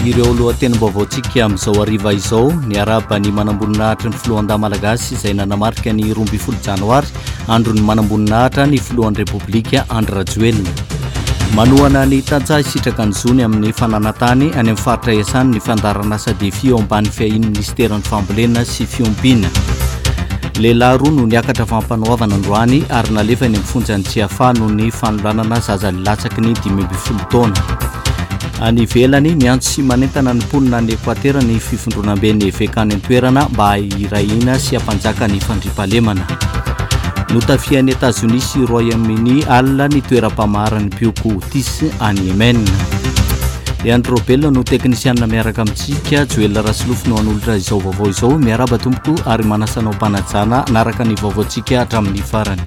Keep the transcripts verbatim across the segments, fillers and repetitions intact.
Ireo lohatenim-baovaontsika amin'izao hariva izao: niarahaba ny manamboninahitry ny filohandahy malagasy izay nanamarika ny roa ambin'ny folo janoary, andron'ny manamboninahitra, ny filohan'ny Repoblika Andry Rajoelina. Manohana ny tantsaha hisitraka ny zony amin'ny fananantany any amin'ny faritra iasany ny fandaharanasa DEFI eo ambany fiahian'ny ministeran'ny fambolena sy fiompiana. Lehilahy roa no niakatra fampanoavana androany ary nalefa eny amin'ny fonjan'ny Tsiafahy noho ny fanolanana zaza latsaky ny dimy ambin'ny folo taona. Any ivelany, miantso sy manentana ny mponina any Ekoatera ny fifondronamben'ny eveka any an-toerana mba hirahina sy hampanjaka ny fandriampahalemana. Notafihan'i Etazonia sy Royaume-Uni alina ny toeram-pamaharan'ny mpioko Houthis any Yemen. Andry Robel no teknisianina miaraka amintsika, Joel Rasolofo no hanolotra izao vaovao izao. Miarahaba tompoko ary manasa anao mpanajana naraka ny vaovaontsika hatramin'ny farany.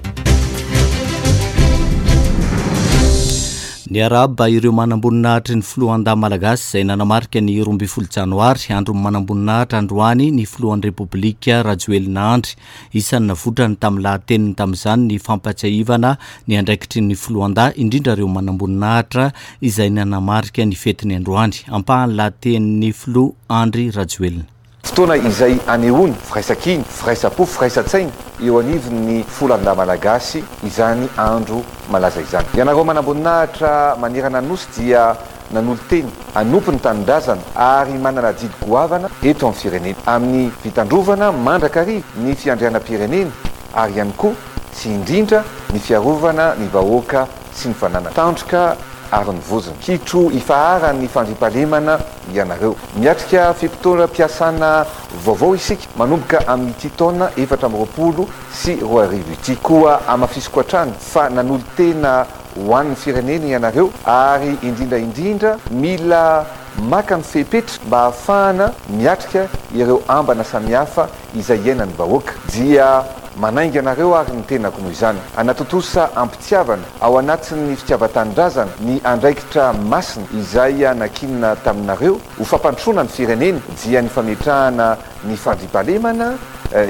Niarahaba ireo manamboninahitry ny filohandahy malagasy izay nanamarika ny roa ambin'ny folo janoary, andron'ny manamboninahitra androany, ny filohan'ny Repoblika Rajoelina Andry. Isan'ny navoitrany tamin'ny lahateniny tamin'izany ny fampatsiahivana ny andraikitry ny filohandahy, indrindra ireo manamboninahitra izay nanamarika ny fetiny androany. Ampahan'ny lahatenin'ny filoha Andry Rajoelina. Fotoana izay anehoana firaisankina, firaisam-po, firaisan-tsaina eo anivon'ny filohandahy malagasy izany andro malaza izany. Ianareo manamboninahitra manerana ny nosy dia nanolo-tena hanompo ny tanindrazana ary manana adidy goavana eto amin'ny firenena amin'ny fitandrovana mandrakariva ny fiandrianam-pirenena ary ihany koa sy indrindra ny fiarovana ny vahoaka sy ny fananana. Tandroka ary ny vozona. Kitro ifaharan'ny fandriampahalemana ianareo. Miatrika fe-potoam-piasana vaovao isika manomboka amin'ity taona efatra amby roapolo sy roa arivo ity. Koa hamafisiko hatrany fa nanolo-tena ho an'ny firenena ianareo ary indrindra indrindra mila maka ny fepetra mba ahafahana miatrika ireo ambana samihafa izay iainan'ny vahoaka. Dia manainga anareo ary ny tenako noho izany hanatontosa am-pitiavana ao anatin'ny fitiavan-tanindrazana ny andraikitra masina izay nankinina taminareo ho fampandrosoana ny firenena, dia ny fametrahana ny fandriampahalemana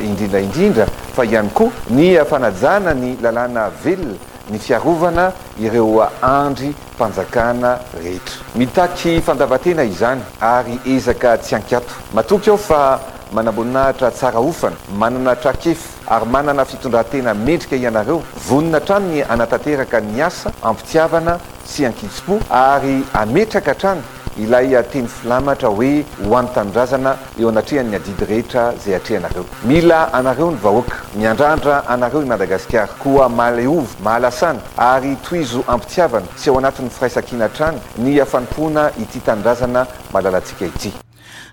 indrindra indrindra fa ihany koa ny fanajana ny lalàna velona, ny fiarovana ireo andry mpanjakana rehetra. Mitaky fandavan-tena izany ary ezaka tsy ankiato. Matoky aho fa manamboninahitra tsara ofana, manana traikefa ary manana fitondran-tena mendrika ianareo, vonona hatrany ny hanatanteraka ny asa am-pitiavana sy an-kitsim-po ary hametraka hatrany ilay teny filamatra hoe ho an'ny tanindrazana eo anatrehan'ny adidy rehetra izay atrehanareo. Mila anareo ny vahoaka, miandrandra anareo i Madagasikara, koa mahaleova, mahalasana ary tohizo am-pitiavana sy ao anatin'ny firaisankina hatrany ny fanompoana ity tanindrazana malalantsika ity.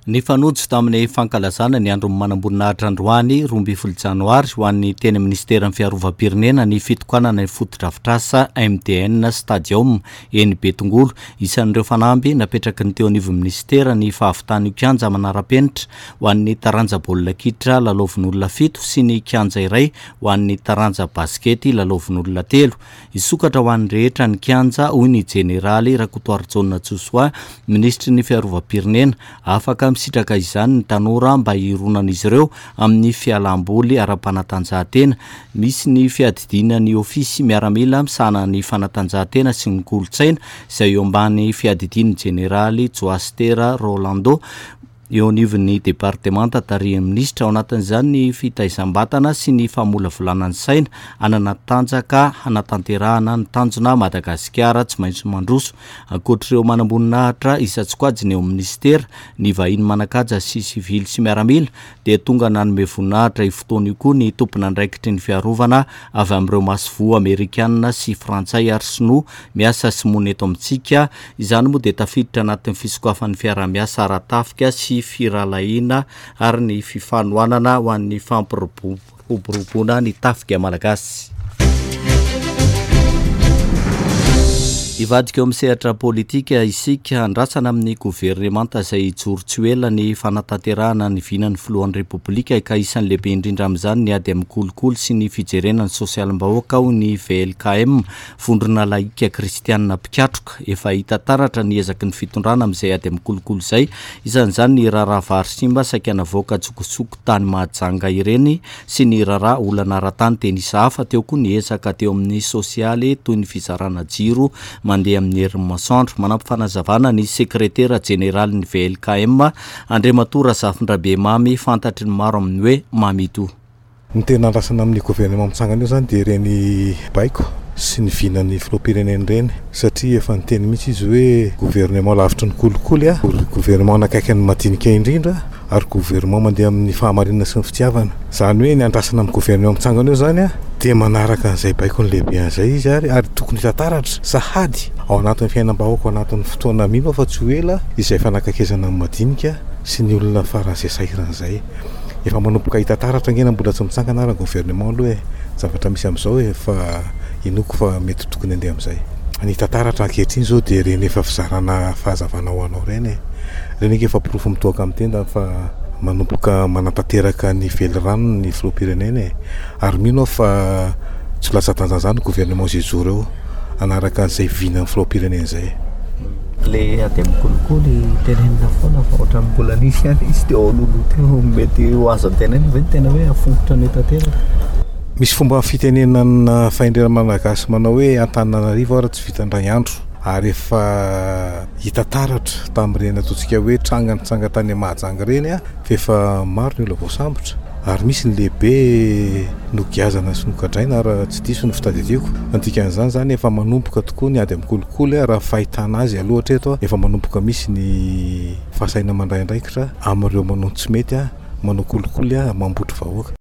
Nifanojo tamin'ny fankalazana ny andron'ny manamboninahitra androany roa ambin'ny folo janoary ho an'ny teny ministeran'ny fiarovam-pirenena ny fitokanana ny fotodrafitrasa M D N Stadium eny Betongolo. Isan'ireo fanamby napetraky ny teo anivon'ny ministera ny fahavitan'io kianja manara-penitra ho an'ny taranja baolina kitra lalaovin'olona fito sy ny kianja iray ho an'ny taranja baskety lalaovin'olona telo. Hisokatra ho an'ny rehetra ny kianja, hoy ny jeneraly Rakotoarijaona Josoa, minisitry ny fiarovam-pirenena. Afaka misitraka izany ny tanora mba hironan'izy ireo amin'ny fialamboly ara-panatanjahantena. Misy ny fiadidiana ny ofisy miaramila misahana ny fanatanjahantena sy ny kolontsaina izay eo ambany fiadidian'ny jeneraly Joastera Rolando eo anivon'ny departemanta tarihin'ny minisitra. Ao anatin'izany ny fitaizam-batana sy ny famolavolana ny saina hanana tanjaka hanatanterahana ny tanjona Madagasikara tsy maintsy mandroso. Ankoatr'ireo manamboninahitra isan-tsokajiny eo amin'ny ministera, ny vahiny manan-kaja sy sivily sy miaramila dia tonga nanome voninahitra io fotoana io koa ny tompon'andraikitry ny fiarovana avy amin'ireo masoivoho amerikanina sy frantsay ary sinoa miasa sy monina eto amintsika. Izany moa dia tafiditra anatin'ny fisokafan'ny fiaraha-miasa ara-tafika sy firahalahiana ary ny fifanohanana ho an'ny fampiroboroboana ny tafika malagasy. Hivadika eo amin'ny sehatra politika isika, andrasana amin'ny governemanta izay hijoro tsy ho ela ny fanatanterahana ny vinan'ny filohan'ny Repoblika ka isan'ny lehibe indrindra amin'izany ny ady amin'ny kolikoly sy ny fijerena ny sosialim-bahoaka, hoy ny V L K M, vondrona laika kristianina mpikatroka. Efa hita taratra ny ezaky ny fitondrana amin'izay ady amin'ny kolikoly izay, isan'izany ny raharaha vary simba saika navoaka an-tsokosoko tany Mahajanga ireny sy ny raharaha olana ara-tany teny Isahafa. Teo koa ny ezaka teo amin'ny sosialy toy ny fizarana jiro mandeha amin'ny herin'ny masoandro. Manampy fanazavana ny sekretera jeneralin'ny V L K M, Andriamatoa Razafindrabe Mamy, fantatry ny maro amin'ny hoe Mamito. Ny tena andrasana amin'ny gouvernement mitsangana io zany dia ireny baiko sy ny vinan'ny filoham-pirenena ireny, satria efa niteny mihitsy izy hoe gouvernement lavitry ny kolikoly, a gouvernement nakaiky ny madinika indrindra, ary gouvernement mandeha amin'ny fahamarinana sy ny fitiavana. Zany hoe ny andrasana amin'ny gouvernement mitsangana io zany a dia manaraka an'izay baiko ny lehibe an'izay izy, ary ary tokony hitataratra sahady ao anatin'ny fiainam-bahoaka, ao anatin'ny fotoana mino fa tsy ho ela izay fanakaikezana amin'ny madinika sy ny olona faran'izay sahiran'izay. Efa manomboka hitataratra angena, mbola tsy mitsangana ara gouvernement aloha e, zavatra misy amin'izao e, fa inoko fa mety tokony andeha amin'izay ny tantaratra ankehitriny zao. Dia reny efa fizarana fahazavana ho anao reny e, reny ake efa porofo mitoaka amin'ny tenda fa manomboka manatanteraka ny velirano ny filoham-pirenena e, ary mino aho fa tsy latsa-danja zany gouvernement zay joro eo anaraka an'izay vinan'ny filoham-pirenena zay. Le ady amin'ny kolikoly tenenina foana, fa ohatran'ny mbola nisy ihany izy teo alohaloha teo. Mety ho azo antenaina ve ny tena hoe afongotra ny tanteraka? Misy fomba fitenenana fahendrena malagasy manao hoe Antananarivo ara tsy vita indray andro, ary efa hita taratra tamin'ireny ataontsika hoe tranga nitsanga tany Mahajanga ireny a fa efa maro ny olona voasambotra, ary misy ny lehibe nogiazana sy nogadraina, raha tsy diso ny fitadidiako. Ny dikan'izany zany, efa manomboka tokoa ny ady amin'ny kolikoly a raha fahitana azy aloha hatreto a efa manomboka misy ny fahasahiana mandray andraikitra amin'ireo manao tsy mety, a manao kolikoly, a mambotry vahoaka.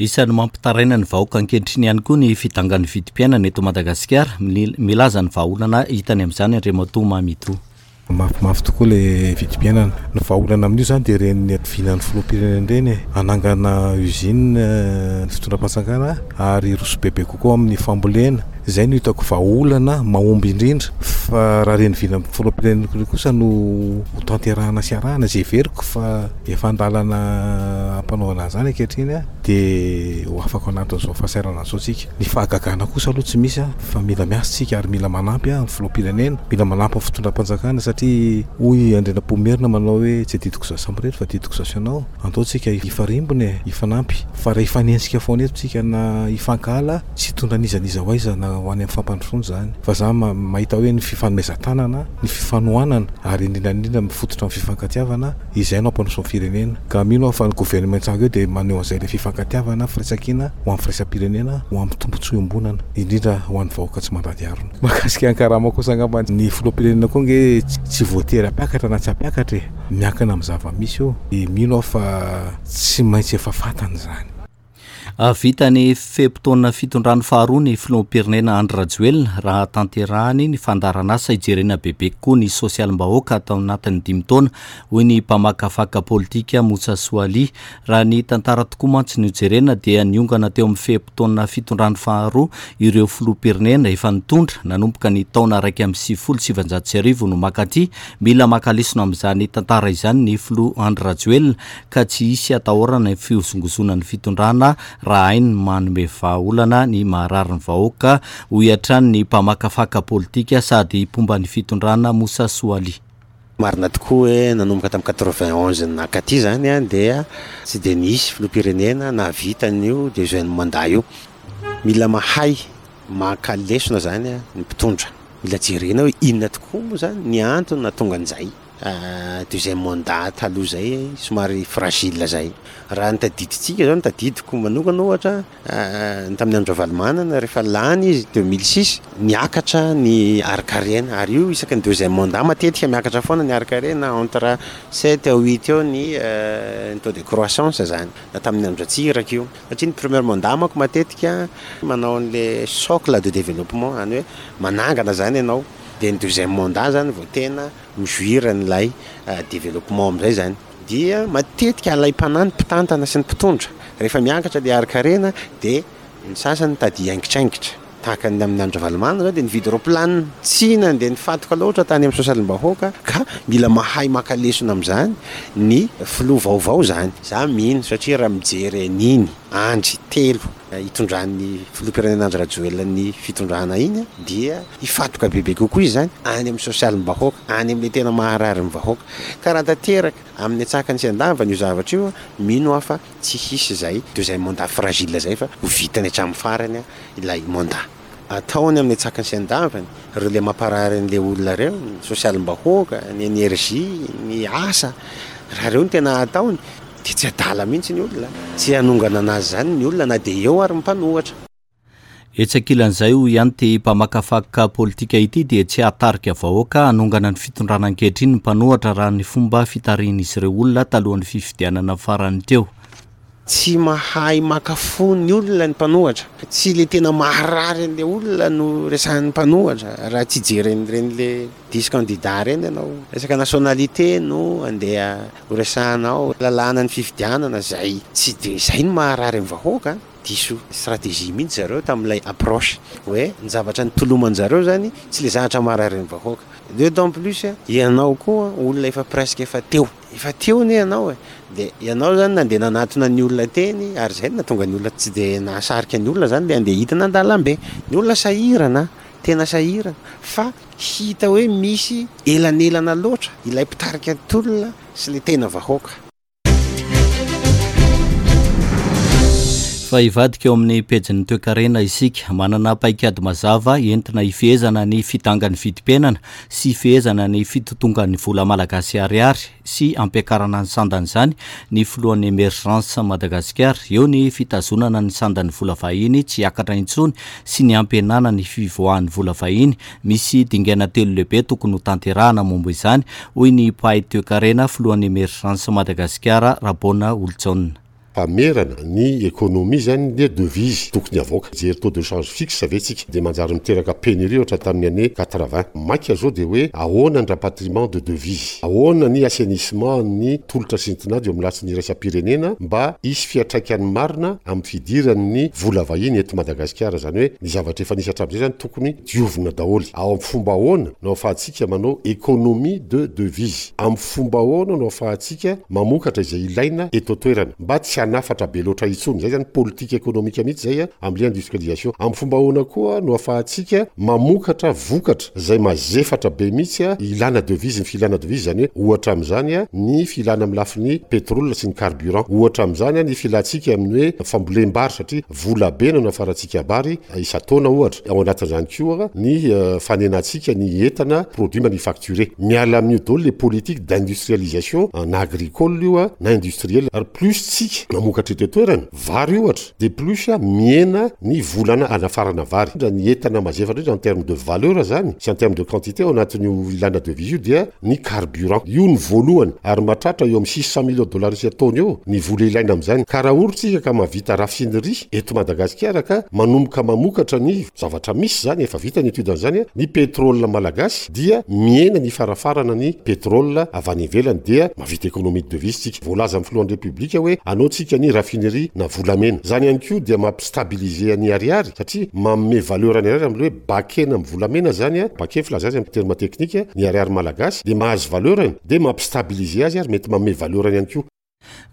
Isan'ny mampitaraina ny vahoaka ankehitriny ihany koa ny fidangan'ny vidim-piainana eto Madagasikara. Milaza ny vahaolana hitany amin'izany Andriamatoa Mamito. Mafimafy tokoa le vidim-piainana. Ny vahaolana amin'io zany dia reny vinan'ny filoham-pirenena ireny e, anangana usine ny fitondram-panjakana, ary roso bebe kokoa amin'ny fambolena. Izay no hitako vahaolana mahomby indrindra, fa raha reny vinan'ny filoham-pirenena kosa no ho tanterahana sy arahana, izay heveriko fa efa andalana ampanaovana an'izany ankehitriny a dia ho afaka ao anatin'izao fahasahiranana zao tsika. Ny fahagagana kosa aloha tsy misy a fa mila miasa tsika, ary mila manampy a ny filoham-pirenena, mila manampy ny fitondram-panjakana, satria hoy Andrianampoinimerina manao hoe tsy adidiko za samirery fa adidiko za sy ianao. Andao tsika hifarimbona e, hifanampy, fa raha hifanenjika foana eto tsika na hifankahala, tsy hitondra n'iza n'iza ho aiza na ho any amin'ny fampandrosoana zany. Fa za mahita hoe ny fifanomezan-tanana, ny fifanohanana, ary indrindra indrindra mifototra amin'ny fifankatiavana, izay no hampandroso ny firenena. Ka mino aho fa ny gouvernement tsanga eo dia maneho an'izay le fifankatiavana, firaisankina ho amin'ny firaisam-pirenena, ho amin'ny tombontsoa iombonana, indrindra ho an'ny vahoaka tsy mandady harona. Mahakasika ny karama kosa angamba, ny filoham-pirenena koa nge tsy voatery hampiakatra na tsy hampiakatra e, miankina amin'ny zava-misy io, de mino aho fa tsy maintsy efa fantany zany. Vita ny fe-potoana fitondrany faharoa ny filoham-pirenena Andry Rajoelina raha tanterahany ny fandaharanasa hijerena bebe kokoa ny sosialim-bahoaka atao anatin'ny dimy taona, hoy ny mpamakafaka politika Motsa Soali. Raha ny tantara tokoa mantsy no jerena, dia niongana teo amin'ny fe-potoana fitondrany faharoa ireo filoham-pirenena efa nitondra nanomboka ny taona raiky amby sivifolo sivanjato sy arivo no makaty. Mila maka lesona amin'izany tantara izany ny filoha Andry Rajoelina, ka tsy hisy atahorana ny fihozongozonan'ny fitondrana raha hainy manome vahaolana ny maharary ny vahoaka, hoy hatrany ny mpamakafaka politika sady mpomba ny fitondrana Motsa Soali. Marina tokoa hoe nanomboka tamin'ny quatre-vingt-onze nakaty zany a dia tsy de nisy filoham-pirenena nahavita an'io deuxième mandat io. Mila mahay maka lesona zany a ny mpitondra, mila jerena hoe inona tokoa moa zany ny antony nahatonga an'izay deuxième mandat taloha zay somary fragile zay. Raha ny tadidintsika zao, ny tadidiko manokana ohatra, ny tamin'ny andro Ravalomanana, rehefa lany izy deux mille six, niakatra ny harin-karena, ary io isaky ny deuxième mandat matetika miakatra foana ny harin-karena, entre sept à huit eo ny ny taux de croissance zany, na tamin'ny andro Ratsiraka io, satria ny premier mandat manko matetika manao an'le socle de développement, zany hoe manangana zany ianao, de ny deuxième mandat zany vao tena mijouir an'ilay développement am'izay zany. Dia matetika alaim-panahy ny mpitantana sy ny mpitondra rehefa miakatra le harin-karena, de ny sasany tady haingitraingitra, tahaka ny amin'ny andro Ravalomanana zao, de nividy roplanina, tsy nandeha nifatoka loatra tany amin'ny sosialim-bahoaka. Ka mila mahay maka lesona am'izany ny filoha vaovao zany, za mino, satria raha mijery an'iny andry telo hitondran'ny filoham-pirenena Andry Rajoelina ny fitondrana iny, dia hifatoka bebe kokoa izy zany any amin'ny sosialim-bahoaka, any amin'le tena maharary ny vahoaka. Ka raha tanteraka amin'ny atsakany sy andavany io zavatra io, mino aho fa tsy hisy zay deuxième mandat fragile zay, fa ho vitany hatramin'ny farany a ilay mandat. ataony amin'ny antsakany sy andavany, ireo le mamparary an'le olona ireo, ny sosialim-bahoaka, ny énergie, ny asa, raha ireo no tena ataony dia tsy adala mihitsy ny olona, tsy hanongana anazy izany ny olona na dia eo ary ny mpanohitra. Etsy ankilan'izay, hoy ihany ity mpamakafaka politika ity, dia tsy hahatarika vahoaka hanongana ny fitondrana ankehitriny ny mpanohitra raha ny fomba fitarihin'izy ireo olona talohan'ny fifidianana farany teo. Tsy mahay maka fo ny olona ny mpanohitra, tsy le tena maharary an'le olona no resahan'ny mpanohitra raha tsy hijery an'ireny le dix candidats ireny ianao. Resaka nationalité no andeha ho resahanao, lalàna ny fifidianana izay tsy dia izay no maharary ny vahoaka. Diso stratégie mihitsy zareo tamin'ilay approche hoe ny zavatra nitoloman-jareo zany tsy le zavatra maharary ny vahoaka. D'autant plus ianao koa olona efa presque efa teo, efa teo anie ianao e, dia ianao zany nandeha nanatona ny olona teny ary izay no nahatonga ny olona tsy dia nahasarika ny olona zany le andeha hidina an-dalambe. Ny olona sahirana, tena sahirana, fa hita hoe misy elanelana loatra ilay mpitarika ny tolona sy le tena vahoaka. Fa hivadika eo amin'ny pejin'ny toekarena isika. Manana paikady mazava entina hifehezana ny fidangan'ny vidim-piainana sy hifehezana ny fitotongan'ny vola malagasy ariary sy hampiakarana ny sandan'izany ny filohan'ny Emergence Madagasikara. Eo ny fitazonana ny sandan'ny vola vahiny tsy hiakatra intsony sy ny hampihenana ny fivoahan'ny vola vahiny. Misy dingana telo lehibe tokony ho tanterahana momba izany, hoy ny mpahay toekarena filohan'ny Emergence Madagasikara Rabona Olonjaona. Famerana ny économie zany dia devise tokony avoaka. Jery taux de change fixe ve tsika dia manjary miteraka pénurie ohatra tamin'ny année quatre-vingts. Maika zao dia hoe ahoana ny rapatriement de devise, ahoana ny assainissement ny tolotra sy ny tinady eo amin'ny latsiny iraisam-pirenena mba hisy fiantraikany marina amin'ny fidiran'ny vola vahiny eto Madagasikara. Zany hoe ny zavatra efa nisy hatramin'izay zany tokony diovina daholo. Ao amin'ny fomba ahoana no ahafahantsika manao économie de devise, amin'ny fomba ahoana no ahafahantsika mamokatra izay ilaina eto an-toerana mba tsy hanafatra be loatra intsony. Zay zany politique économique mihitsy zay amin'ny industrialisation. Amin'ny fomba ahoana koa no ahafahantsika mamokatra vokatra zay mazefatra be mihitsy ilana devise, ny filana devise zany hoe ohatra amin'izany ny filana amin'ny lafiny pétrole sy ny carburant, ohatra amin'izany ny filantsika amin'ny hoe fambolem-bary satria vola be no nafarantsika bary isan-taona ohatra. Ao anatin'izany koa ny fanenantsika ny entana produit manufacturé. Miala amin'io daholo le politique d'industrialisation na agricole io na industriel. Ary plus tsika mamokatra eto an-toerana vary ohatra dia plus mihena ny volana anafarana vary. Ny entana mazefatra indrindra en terme de valeur zany sy en terme de quantité ao anatin'io ilana devise io dia ny carburant. Io ny voalohany ary mahatratra eo amin'ny six cent millions de dollars isan-taona eo ny vola ilaina amin'izany. Ka raha ohatra tsika ka mahavita raffinerie eto Madagasikara ka manomboka mamokatra ny zavatra misy zany efa vita ny étude an'izany ny pétrole malagasy dia mihena ny farafarana ny pétrole avy any ivelany dia mahavita économie de devise tsika. Voalaza amin'ny filohan'ny République hoe anao tsika ny raffinerie na volamena. Zany ihany koa dia mampistabiliser ny ariary satria manome valeur ny ariary amin'ny hoe bakena amin'ny volamena zany, bakena filaza azy amin'ny terme technique ny ariary malagasy dia mahazo valeur dia mampistabiliser azy ary mety manome valeur ihany koa.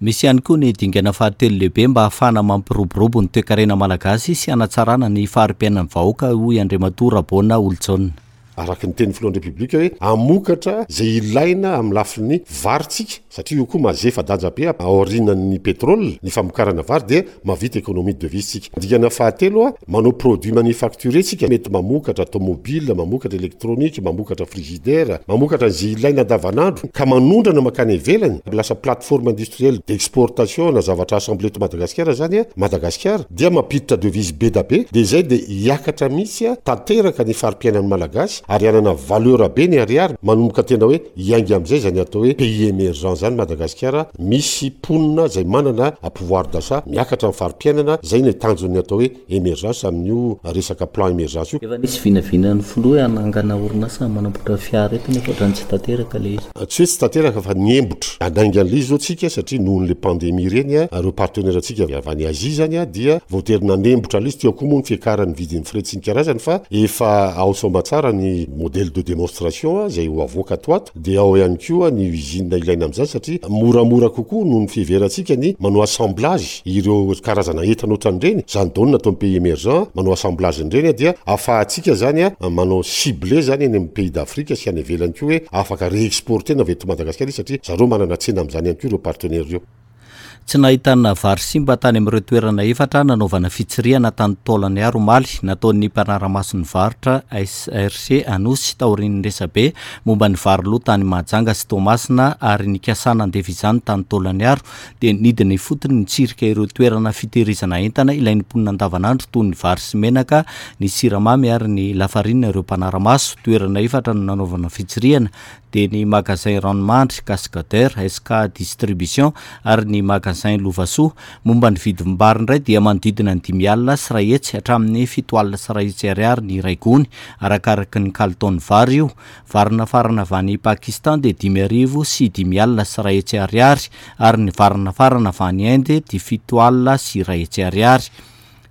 Misy ihany koa ny dingana fahatelo lehibe mba hahafahana mampiroborobo ny toekarena malagasy sy hanatsarana ny fari-piainan'ny vahoaka, hoy Andriamatoa Rabona Olonjaona. Araka ny teny filohan'ny République hoe hamokatra izay ilaina amin'ny lafiny vary tsika satria io koa mazefa danja be aorianan'ny pétrole ny famokarana vary dia mahavita économie de devise tsika. Dingana fahatelo a manao produit manufacturé tsika, mety mamokatra automobile, mamokatra électronique, mamokatra frigidaire, mamokatra izay ilaina andavanandro ka manondrana mankany ivelany. Lasa plateforme industrielle d'exportation na zavatra assemblé eto Madagasikara zany Madagasikara dia mampiditra devise be da be dia izay dia hiakatra mihitsy tanteraka ny fari-piainan'ny malagasy ary hanana valeur be ny ariary manomboka tena hoe hiainga amin'izay zany atao hoe pays émergent zany Madagasikara misy mponina zay manana pouvoir d'achat miakatra ny fari-piainana. Zay ny tanjon'ny atao hoe émergence amin'io resaka plan émergence io. Efa nisy vinavinan'ny filoha hanangana orinasa manamboatra fiara eto nefa ohatrany tsy tanteraka le izy. Tsy hoe tsy tanteraka fa niembotra anainga an'ilay izy zao tsika satria noho n'le pandémie reny ireo partenaire antsika avy any Asie zany dia voatery nanembotra ilay izy. Teo koa moa ny fiakaran'ny vidin'ny frais sy ny karazany fa efa ao soamantsara ny modèle de démonstration zay ho avoaka ato ato dia ao ihany koa ny usine ilaina amin'izany satria moramora kokoa noho ny fiheverantsika ny manao assemblage ireo karazana entana ohatran'ireny. Zany daholo natao amin'ny pays émergent manao assemblage an'ireny dia ahafahantsika zany manao ciblé zany any amin'ny pays d'Afrique sy any ivelany koa hoe afaka réexporter na avy eto Madagasikara izy satria zareo manana tsena amin'izany ihany koa ireo partenaires ireo. Tsy nahitana vary simba tany amin'ireo toerana efatra nanaovana fitsirihana tany Taolagnaro omaly, nataon'ny mpanara-maso ny varotra S R C Anosy taorian'ny resabe momba ny vary lo tany Mahajanga sy Toamasina ary nikasana andefa izany tany Taolagnaro, dia nidina ifotony nitsirika ireo toerana fitehirizana entana ilain'ny mponina andavanandro toy ny vary sy menaka, ny siramamy ary ny lafarinina ireo mpanara-maso. Toerana efatra no nanaovana fitsirihana, dia ny magasin Ranomandry, Cascadeur, S K Distribution ary ny magasin Lovasoa. Momba ny vidim-bary indray dia manodidina ny dimy alina sy iray hetsy hatramin'ny fito alina sy iray hetsy ariary ny iray gony, arakaraky ny kalitaon'ny vary io. Vary nafarana avy any Pakistan dia dimy arivo sy dimy alina sy iray hetsy ariary ary ny vary nafarana avy any Inde dia fito alina sy iray hetsy ariary.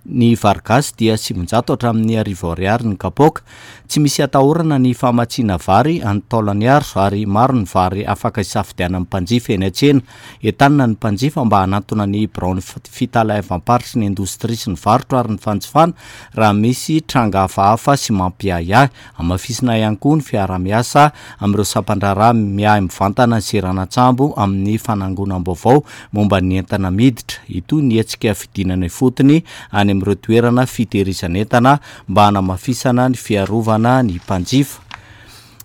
Ny vary gasy dia sivinjato hatramin'ny arivo ariary ny kapoaka. Tsy misy atahorana ny famatsiana vary any Taolagnaro ary maro ny vary afaka isafidianan'ny mpanjifa eny an-tsena. Entanina ny mpanjifa mba hanantona ny biraon'ny fitaleavam-paritry ny indostria sy ny varotra ary ny fanjifana raha misy tranga hafahafa sy mampiahiahy. Hamafisina ihany koa ny fiarahamiasa amin'ireo sampan-draharaha miahy mivantana ny seranan-tsambo amin'ny fanangonam-baovao momba ny entana miditra. Itoy ny hetsika fidinana ifotony any amin'ireo toerana fitehirizana entana mba hanamafisana ny fiarovana ny mpanjifa.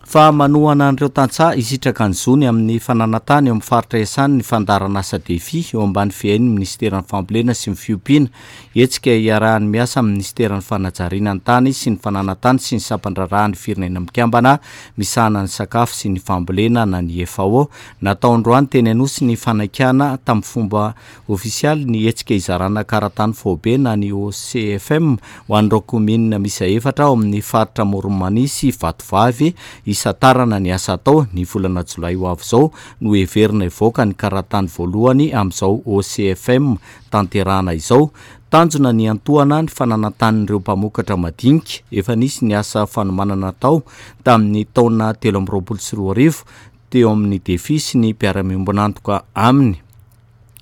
Fa manohana an'ireo tantsaha hisitraka ny zony amin'ny fananan-tany eo amin'ny faritra iasany ny fandaharanasa DEFI eo ambany fiahian'ny ministeran'ny fambolena sy ny fiompiana. Hetsika iarahany miasa amin'ny ministeran'ny fanajariana ny tany sy ny fananan-tany sy ny sampan-draharahan'ny Firenena Mikambana misahana ny sakafo sy ny fambolena na ny F A O. Natao androany teny Anosy ny fanakianana tamin'ny fomba ofisialy ny hetsika izarana karatany faobe na ny O C F M ho an'ireo kaominina misy efatra ao amin'ny faritra Amoron'i Mania sy Vatovavy hisantarana ny asa atao. Ny volana jolay ho avy izao no heverina hivoaka ny karatany voalohany amin'izao O C F M tanterahana izao. Tanjona ny antohana ny fananan-tanin'ireo mpamokatra madinika. Efa nisy ny asa fanomanana atao tamin'ny taona telo amby roapolo sy roa arivo teo amin'ny DEFI sy ny mpiara-miombonantoka aminy.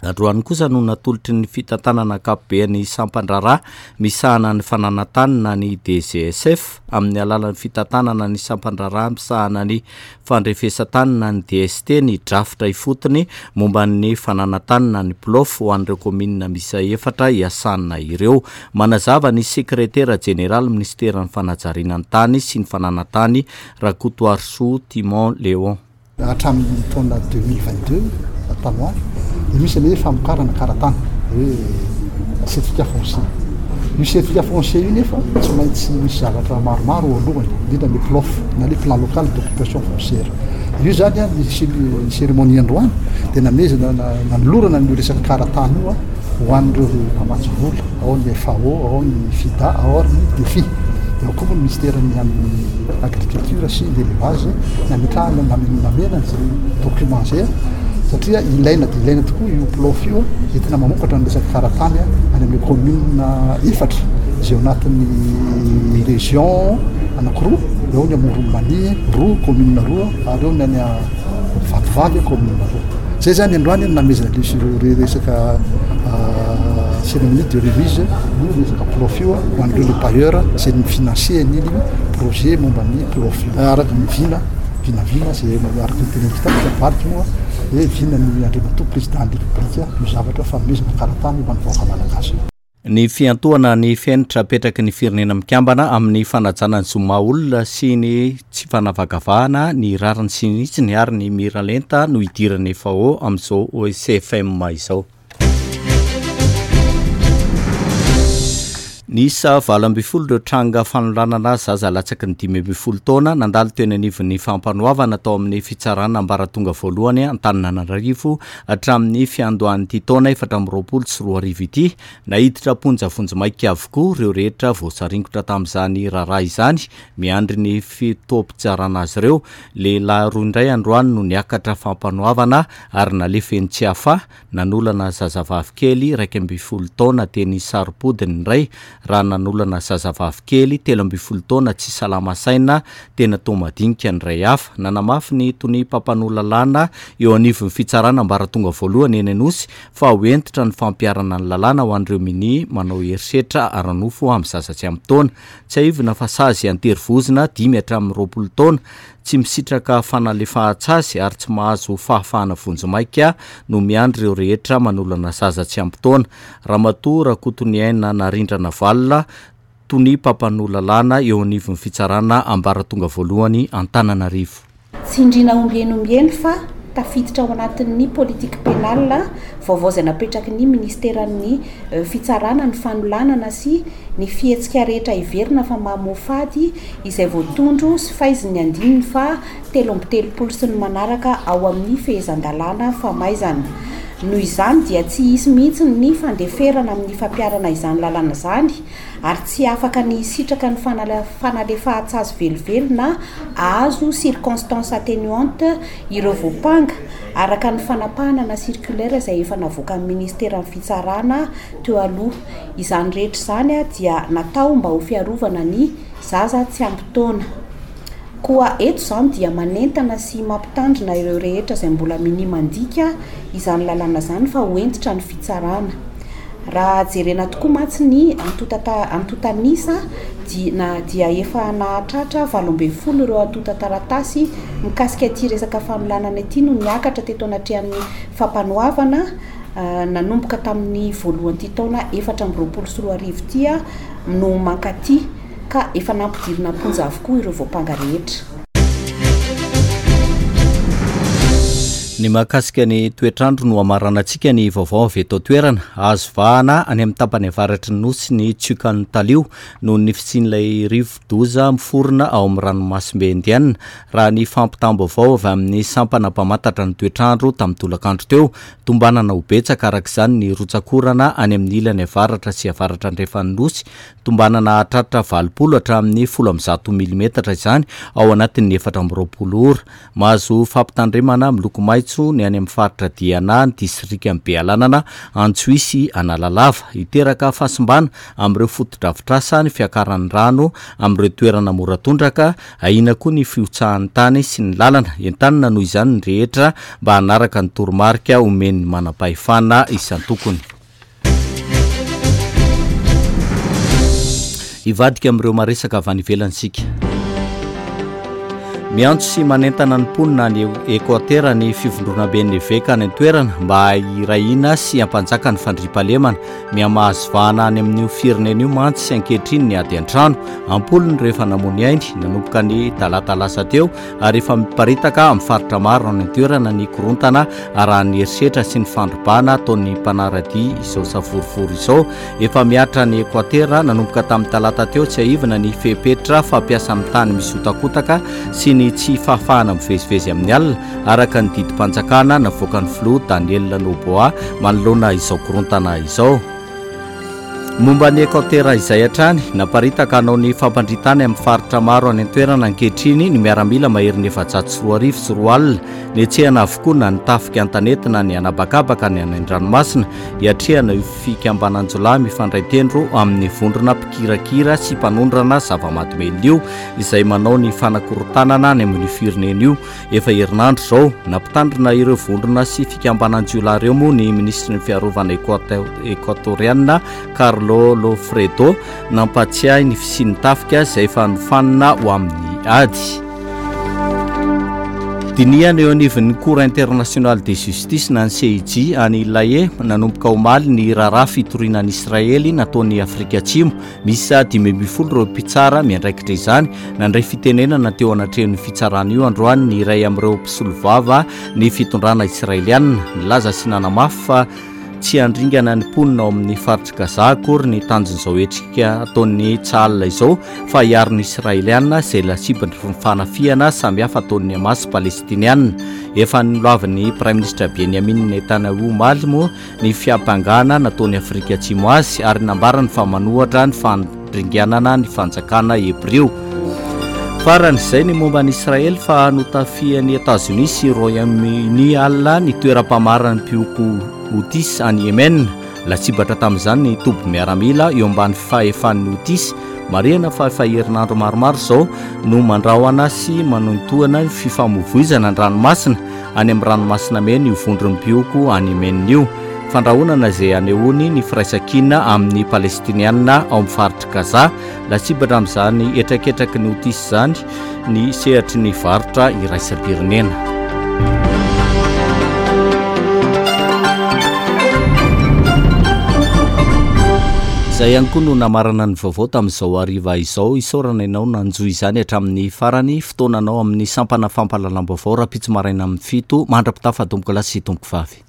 Androany kosa no natolotry ny fitantanana ankapoben'ny sampan-draharaha misahana ny fananan-tany na ny D G S F amin'ny alalan'ny fitantanana ny sampan-draharaha misahana ny fandrefesan-tany na ny D S T ny drafitra ifotony momba ny fananan-tany na ny PLOF ho an'ireo kaominina misy efatra iasana ireo. Manazava ny sekretera jeneraly ministeran'ny fanajariana ny tany sy ny fananan-tany, Rakotoarisoa Timon Léon. Hatramin'ny taona deux mille vingt deux tanoary de misy ale famokarana karatany hoe certificat foncier. Io certificat foncier io nefa tsy maintsy misy zavatra maromaro alohany, indrindra le PLOF na le plan local d'occupation foncière io zany a. Ny cérémonie androany de namezana nanolorana ny resaky karatany io a ho an'ireo mpamatsy vola ao, ny F A O ao, ny FIDA ao ary ny DEFI, de ao koa moa ny ministère-ny amin'ny agriculture sy l'élevage nametrahana namenany zay document zay a, satria ilaina de ilaina tokoa io PLOF io entina mamokatra ny resaky karatany a any amin'ny commune efatra zay ao anatin'ny région anakiroa eo, ny Amoron'i Mania roa, commune roa, ary eo ny any Vatovavy commune roa. Zay zany androany namezana le resaka cérémonie de remise io resaka PLOF io ho an'ireo le bailleur zay ny financier an'iny projet momba ny PLOF io, araky ny vina vinavina zay araky ny teneniko tamika moa hoe vina ny andriamatoa président de république io zavatra fanomezana karatany ho an'ny vahoaka malagasy. Ny fiantohana ny fenitra apetraky ny Firenena Mikambana amin'ny fanajana ny zo maha olona sy ny tsy fanavakavahana, ny rariny sy ny hitsiny ary ny miralenta no idiran'ny F A O amin'izao O C F M izao. Nisy valo amby folo ireo tranga fanolanana zaza latsaky ny dimy amby folo taona nandalo teny anivon'ny fampanoavana atao amin'ny fitsarana ambaratonga voalohany Antananarivo hatramin'ny fiandohan'ity taona efatra amby roapolo sy roa arivo ity. Naiditra am-ponja vonjimaika avokoa ireo rehetra voasaringotra tamin'izany raharaha izany, miandry ny fotoam-pitsarana azy ireo. Lehilahy roa indray androany no niakatra fampanoavana ary nalefa eny Tsiafahy. Nanolana zazavavy kely raiky amby folo taona teny Saropody ny iray, raha nanolana zazavavy kely telo amby folo taona tsy salama saina tena Toamadinika ny iray hafa. Nanamafy ny tonia mpampanoa lalàna eo anivon'ny fitsarana ambaratonga voalohany eny Anosy fa ho hentitra ny fampiharana ny lalàna ho an'ireo mini manao herisetra ara-nofo amin'ny zaza tsy ampy taona. Tsiahivina fa sazy an-terivozona dimy hatramin'ny roapolo taona Tsy misitraka fanalefahan-tsazy ary tsy mahazo fahafahana vonjimaika no miandry ireo rehetra manolana zaza tsy ampy taona. Ramatoa Rakotoniaina Narindra Navalona, tonia mpampanoa lalàna eo anivon'ny fitsarana ambaratonga voalohany Antananarivo. Tsindrina ombieny ombieny fa tafiditra ao anatin'ny politique pénale vaovao izay napetraky ny ministeran'ny fitsarana ny fanolanana sy ny fihetsika rehetra heverina fa mamoafady izay voatondro sy faizin'ny andininy fa telo amby telopolo sy ny manaraka ao amin'ny fehezan-dalàna famaizana. Noho izany dia tsy hisy mihitsy ny fandeferana amin'ny fampiharana izany lalàna izany ary tsy afaka ny hisitraka ny fanalefahan-tsazy velively na ahazo circonstance atténuante ireo voampanga araka ny fanapahana na circulaire izay efa navoakan'ny ministeran'ny fitsarana teo aloha. Izany rehetra izany dia natao mba ho fiarovana ny zaza tsy ampy taona. Koa eto izany dia manentana sy mampitandrina ireo rehetra izay mbola minia mandika izany lalàna izany fa ho hentitra ny fitsarana. Raha jerena tokoa mantsy ny antontanisa dia efa nahatratra valo ambin'ny folo ireo antontan-taratasy mikasika ity resaka fanolanana ity no niakatra teto anatrehan'ny fampanoavana nanomboka tamin'ny voalohan'ity taona efatra amby roapolo sy roa arivo ity no mankaty, ka efa nampidirina am-ponja avokoa ireo voampanga rehetra. Ny mahakasika ny toetrandro no amaranantsika ny vaovao avy eto an-toerana. Azo vahana any amin'ny tapany avaratry ny nosy ny tsiokan'ny talio noho ny fisian'ilay rivo-doza miforona ao amin'ny ranomasimbe Indiana, raha ny fampitam-baovao avy amin'ny sampana mpamantatra ny toetrandro tamin'ny tolakandro teo. Tombanana ho betsaka araka izany ny rotsakorana any amin'ny ilany avaratra sy avaratra andrefan'ny nosy. Tombanana hahatratra valopolo hatramin'ny folo amby zato milimetatra izany ao anatin'ny efatra amby roapolo ora. Mahazo fampitandremana miloko maitso ny any amin'ny faritra Diana, ny distrikan'i Bealanana, Antsohihy sy Analalava. Hiteraka fahasimbana amin'ireo fotodrafitrasa ny fiakaran'ny rano amin'ireo toerana mora tondraka, ahiana koa ny fihotsahan'ny tany sy ny lalana. Entanina noho izany ny rehetra mba hanaraka ny toromarika omen'ny manam-pahefana isan-tokony. Hivadika amin'ireo maresaka avy any ivelany isika. Miantso sy manentana ny mponina any Ekoatera ny fivondronamben'ny eveka any an-toerana mba hirahina sy hampanjaka ny fandriampahalemana. Mihamahazo vahana any amin'io firenena io mantsy sy ankehitriny ny ady an-trano. Ampolony rehefa namoy ainy nanomboka ny talata lasa teo ary efa miparitaka amin'ny faritra maro any an-toerana ny korontana arahan'ny herisetra sy ny fandrobana ataon'ny mpanaradia izao savorovoro izao. Efa mihatra ny Ekoatera nanomboka tamin'ny talata teo tsy aivina ny fepetra fampiasa amin'ny tany misy hotakotaka sy ny tsy fahafahana mivezivezy amin'ny alina araka ny didim-panjakana navoakan'ny filoha Daniel Noboa manoloana izao korontana izao. Momba ny Ekoatera izay hatrany, naparitaka hanao ny fampandritany amin'ny faritra maro any an-toerana ankehitriny ny miaramila maherin'ny efajato sy roa arivo sy roa alina. Netsehana avokoa na ny tafika an-tanety na ny anabakabaka ny any an-dranomasina hiatrehana io fikambanan-jiolahy mifandray tendro amin'ny vondrona mpikirakira sy mpanondrana zava-mahadomelina io izay manao ny fanakorontanana any amin'ny firenena io. Efa herinandro izao nampitandrina ireo vondrona sy fikambanan-jiolahy ireo moa ny minisitry ny fiarovana ekoatoriana Carlo Lofredo nampatsiahy ny fisian'ny tafika izay efa nofanina ho amin'ny ady. Dinihana eo anivon'ny Cour internationale de justice na ny C I J any La Haye nanomboka omaly ny raharaha fitoriana an'i Israely nataon'i Afrika Atsimo. Misy dimy ambin'ny folo ireo mpitsara miandraikitra izany. Nandray fitenenana teo anatrehan'ny fitsarana io androany ny iray amin'ireo mpisolovava ny fitondrana israelianina. Nilaza sy nanamafy fa tsy handringana ny mponina ao amin'ny faritry Gaza akory ny tanjon'izao hetsika ataon'ny Tsahal izao fa hiaro ny Israelianina izay lasibany fanafihana samihafa ataon'ny Hamas palestinianina. Efa nolavin'ny Praiminisitra Benjamin Netanyahu omaly moa ny fiampangana nataon'i Afrika Atsimo azy ary nambarany fa manohatra ny fandringanana ny fanjakana hebreo. Farany izay ny momba an'i Israely fa notafihan'i Etazonia sy Royaume-Uni alina ny toeram-pamaran'ny mpihoko Houthis any Yemen. Lasibatra tamin'izany ny toby miaramila eo ambany fahefan'ny Houthis. Marihana fa efa herinandro maromaro izao no mandrahona sy manohintohina ny fifamoivoizana an-dranomasina any amin'ny ranomasina mena io vondron'ny mpihoko any Yemen io. Fandrahonana izay anehoany ny firaisankina amin'ny Palestiniana ao amin'ny faritr'i Gaza. Lasibatra amin'izany hetraketraky ny Houthis izany ny sehatry ny varotra iraisam-pirenena. Izay ihany koa no namarana ny vaovao tamin'izao hariva izao. Isaorana ianao nanjohy izany hatramin'ny farany. Fotoananao amin'ny sampana fampahalalam-baovao rahampitso maraina amin'ny fito. Mandra-pitafa tompokolahy sy tompokovavy.